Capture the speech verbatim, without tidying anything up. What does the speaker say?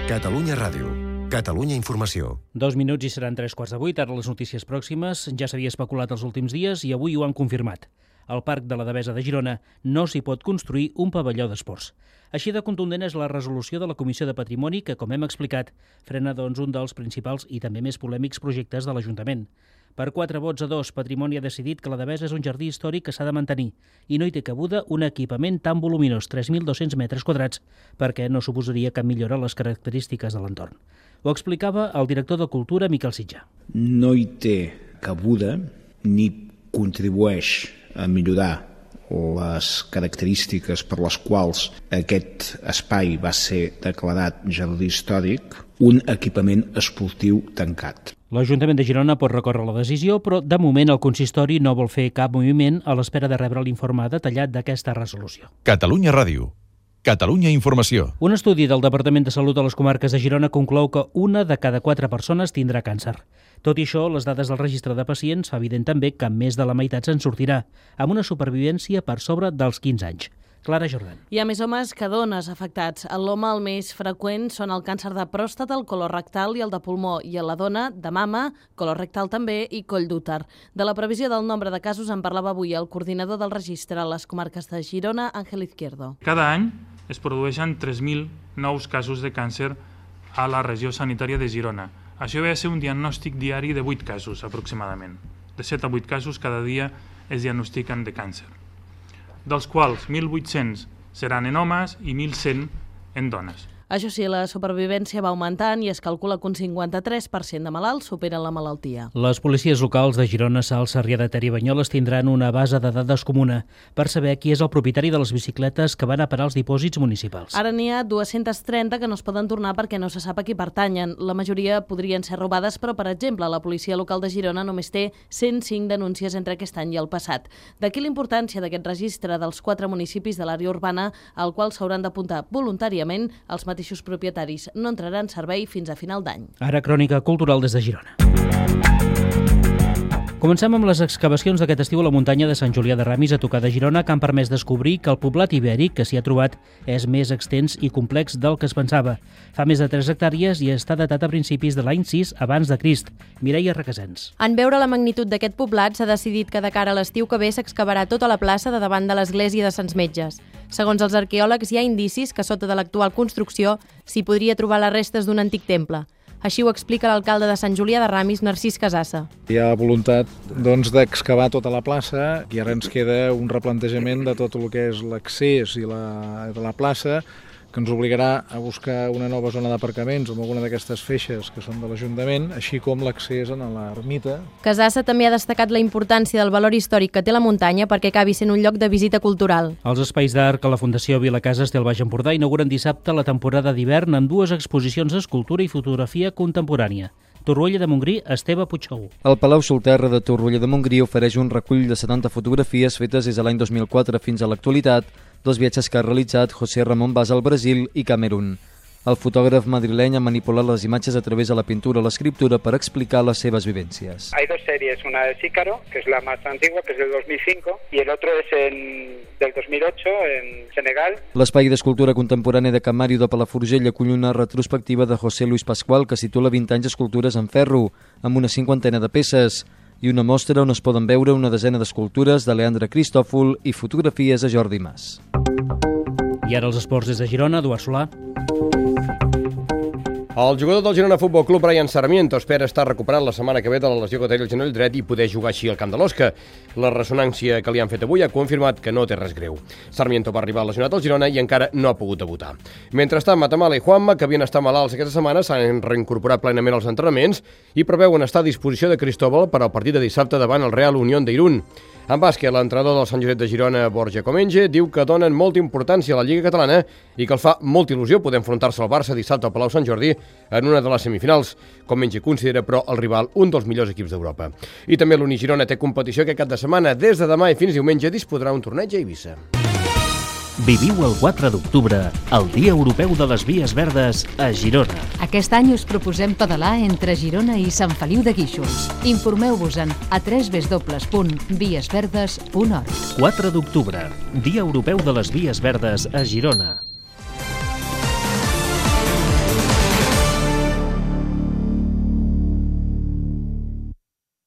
Catalunya Ràdio. Catalunya Informació. Dos minuts i seran tres quarts de vuit. Ara les notícies pròximes. Ja s'havia especulat els últims dies i avui ho han confirmat. Al Parc de la Devesa de Girona no s'hi pot construir un pavelló d'esports. Així de contundent és la resolució de la Comissió de Patrimoni que, com hem explicat, frena doncs, un dels principals i també més polèmics projectes de l'Ajuntament. Per quatre vots a dos, Patrimoni ha decidit que la Devesa és un jardí històric que s'ha de mantenir i no hi té cabuda un equipament tan voluminós, tres mil dos-cents metres quadrats, perquè no suposaria cap millora a les característiques de l'entorn. Ho explicava el director de Cultura, Miquel Sitjà. No hi té cabuda ni contribueix a millorar les característiques per les quals aquest espai va ser declarat jardí històric, un equipament esportiu tancat. L'Ajuntament de Girona pot recórrer la decisió, però de moment el consistori no vol fer cap moviment a l'espera de rebre l'informe detallat d'aquesta resolució. Catalunya Ràdio. Catalunya Informació. Un estudi del Departament de Salut de les comarques de Girona conclou que una de cada quatre persones tindrà càncer. Tot i això, les dades del registre de pacients fa evident també que més de la meitat se'n sortirà, amb una supervivència per sobre dels quinze anys. Clara Jordan. Hi ha més homes que dones afectats. En l'home el més freqüent són el càncer de pròstata, el colorectal i el de pulmó, i a la dona de mama, colorectal també i coll d'úter. De la previsió del nombre de casos en parlava avui el coordinador del registre a les comarques de Girona, Ángel Izquierdo. Cada any es produeixen tres mil nous casos de càncer a la regió sanitària de Girona. Això ve a ser un diagnòstic diari de vuit casos, aproximadament. De set a vuit casos cada dia es diagnostiquen de càncer, dels quals mil vuit-cents seran en homes i mil cent en dones. Això sí, la supervivència va augmentant i es calcula que un cinquanta-tres per cent de malalts superen la malaltia. Les policies locals de Girona, Salt, Sarrià de Ter i Banyoles tindran una base de dades comuna per saber qui és el propietari de les bicicletes que van a parar als dipòsits municipals. Ara n'hi ha dues-centes trenta que no es poden tornar perquè no se sap a qui pertanyen. La majoria podrien ser robades, però, per exemple, la policia local de Girona només té cent cinc denúncies entre aquest any i el passat. D'aquí la importància d'aquest registre dels quatre municipis de l'àrea urbana al qual s'hauran d'apuntar voluntàriament els mateixos mateixos propietaris. No entrarà en servei fins a final d'any. Ara, crònica cultural des de Girona. Comencem amb les excavacions d'aquest estiu a la muntanya de Sant Julià de Ramis, a tocar de Girona, que han permès descobrir que el poblat ibèric que s'hi ha trobat és més extens i complex del que es pensava. Fa més de tres hectàrees i està datat a principis de l'any sis abans de Crist. Mireia Requesens. En veure la magnitud d'aquest poblat, s'ha decidit que de cara a l'estiu que ve s'excavarà tota la plaça de davant de l'església de Sants Metges. Segons els arqueòlegs, hi ha indicis que sota de l'actual construcció s'hi podria trobar les restes d'un antic temple. Així ho explica l'alcalde de Sant Julià de Ramis, Narcís Casassa. Hi ha voluntat doncs, d'excavar tota la plaça i ara ens queda un replantejament de tot el que és l'accés i la, de la plaça, que ens obligarà a buscar una nova zona d'aparcaments amb alguna d'aquestes feixes que són de l'Ajuntament, així com l'accés a l'ermita. Casassa també ha destacat la importància del valor històric que té la muntanya perquè acabi sent un lloc de visita cultural. Els espais d'art que la Fundació Vilacases té al Baix Empordà inauguren dissabte la temporada d'hivern amb dues exposicions d'escultura i fotografia contemporània. Torroella de Montgrí, Esteve Puigsegur. El Palau Solterra de Torroella de Montgrí ofereix un recull de setanta fotografies fetes des de l'any dos mil quatre fins a l'actualitat, dos viatges que ha realitzat José Ramón Vaz al Brasil i Camerún. El fotògraf madrileny ha manipulat les imatges a través de la pintura o l'escriptura per explicar les seves vivències. Hay dos series, una de Sícaro, que es la más antigua, que es del dos mil cinco, y el otro es en, del dos mil ocho, en Senegal. L'espai d'escultura contemporània de Can Màrio de Palafrugell acull una retrospectiva de José Luis Pascual que situa vint anys d'escultures en ferro, amb una cinquantena de peces, i una mostra on es poden veure una desena d'escultures de Leandre Cristòfol i fotografies de Jordi Mas. I ara els esports des de Girona, Eduard Solà. El jugador del Girona Futbol Club, Brian Sarmiento, espera estar recuperat la setmana que ve de la lesió que té el genoll dret i poder jugar així al camp de l'Osca. La ressonància que li han fet avui ha confirmat que no té res greu. Sarmiento va arribar lesionat al Girona i encara no ha pogut debutar. Mentrestant, Matamala i Juanma, que havien estat malalts aquesta setmana, s'han reincorporat plenament als entrenaments i preveuen estar a disposició de Cristóbal per al partit de dissabte davant el Real Unión d'Irún. En bàsquet, l'entrenador del Sant Josep de Girona, Borja Comenge, diu que donen molta importància a la Lliga Catalana i que els fa molta il·lusió poder enfrontar-se al Barça dissabte al Palau Sant Jordi en una de les semifinals. Comenge considera, però, el rival un dels millors equips d'Europa. I també l'Unigirona té competició aquest cap de setmana. Des de demà i fins diumenge disputarà un torneig a Eivissa. Viviu el quatre d'octubre, el Dia Europeu de les Vies Verdes a Girona. Aquest any us proposem pedalar entre Girona i Sant Feliu de Guíxols. Informeu-vos-en a w w w punt vies verdes punt org. quatre d'octubre, Dia Europeu de les Vies Verdes a Girona.